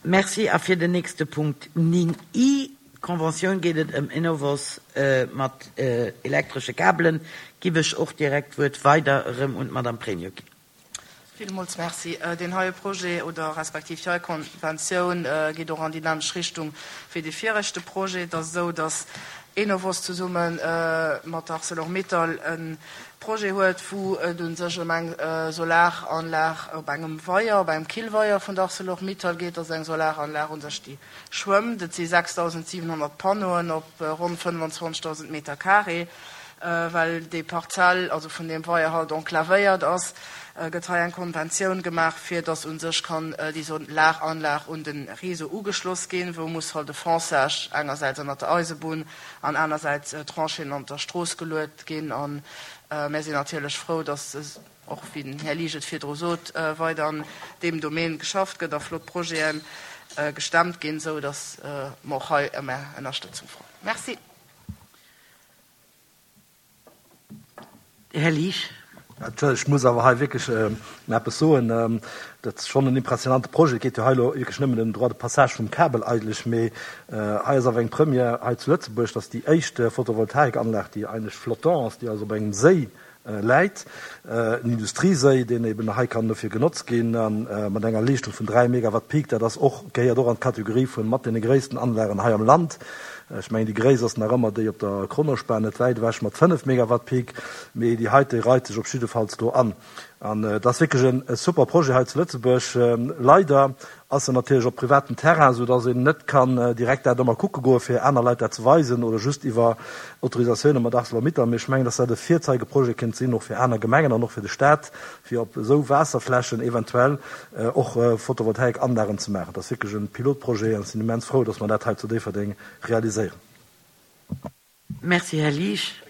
Merci. A fir den nächste Punkt 9 I, d'Conventioun, geet et ëm Enovos mat elektresche Kabelen. Giff ech och direkt d'Wuert weider erëm un d'Madame Pregno ginn. Villmools Merci. Deen heie Projet oder respektiv déi hei Konventioun geet och an déi nämmlecht Richtung wéi dee viregte Projet. Et ass esou, datt Enovos zesumme mat Arcelor-Mittal e Projet huet, wou et u sech ëm eng Solaranlag op engem Weier, op engem Killweier vun der Arcelor-Mittal geet. Dat ass eng Solaranlag u sech, déi schwëmmt. Et si 6.700 Panneauen op ronn 25.000 Meter carré. Well déi Parzell, also vun deem Weier halt enclavéiert ass, gëtt hei eng Konventioun gemaach, fir datt u sech kann déi Solaranlag un de Réseau ugeschloss ginn, wou muss halt e Fonçage engersäits ënnert der Eisebunn an anersäits Trancheen an der Strooss geluet ginn. A mär sinn natierlech frou, datt, och wéi den Här Liesch et virdru sot, weider an deem Domaine geschafft gëtt a flott Projete gestemmt ginn, esou datt mer och hei ëm Är Ënnerstëtzung froen. Merci. Här Liesch. Ech muss awer hei wierklech eppes soen. Dat ass schonn en impressionante Projet. Et geet jo hei elo wierklech nëmmen ëm den Droit de passage vum Kabel eigentlech, mee hei ass awer eng Première hei zu Lëtzebuerg, dass déi éischt Photovoltaikanlag, déi eigentlech flottant ass, déi also op engem Séi läit, en Industrieséi, deen eben hei kann dofir genotzt ginn, a mat enger Leeschtung vun 3 Megawatt Peak, dat ass och, gehéiert och an d'Kategorie vu mat deene gréissten Anlagen hei am Land. Ech mengen, déi gréisst ass nach ëmmer déi op der Kronospan, net wäit ewech, mat 5 Megawatt Peak, mee déi heite reit sech op jiddefalls do an. An et ass wierklech e super Projet hei zu Lëtzebuerg. Leider ass en natierlech op privatem Terrain, esou dass een net kann direkt dat ëmmer kucke goe fir aner Leit dat ze weisen oder just iwwer Autorisatioune mat Arcelor-Mittal. Mee ech mengen, dass dat e Virzeigeprojet kéint sinn, och fir aner Gemengen an och fir de Staat, fir op esou Waasserflächen eventuell och Photovoltaikanlagen ze maachen. Dat ass wierklech e Pilotprojet an ech sinn immens frou, dass mer dat hei zu Déifferdeng realiséieren. Merci, Här Liesch.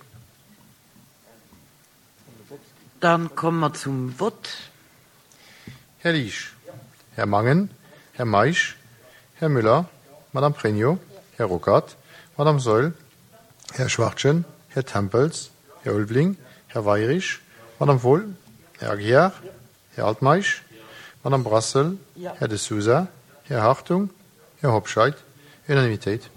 Dann komme mer zum Vott. Här Liesch, Här Mangen, Här Meisch, Här Müller, Madame Pregno, Här Ruckert, Madame Saeul, Här Schwachtgen, Här Tempels, Här Ulveling, Här Weirich, Madame Wohl, Här Aguiar, Här Altmeisch, Madame Brassel, Här De Sousa, Här Hartung, Här Hobscheit. Unanimitéit.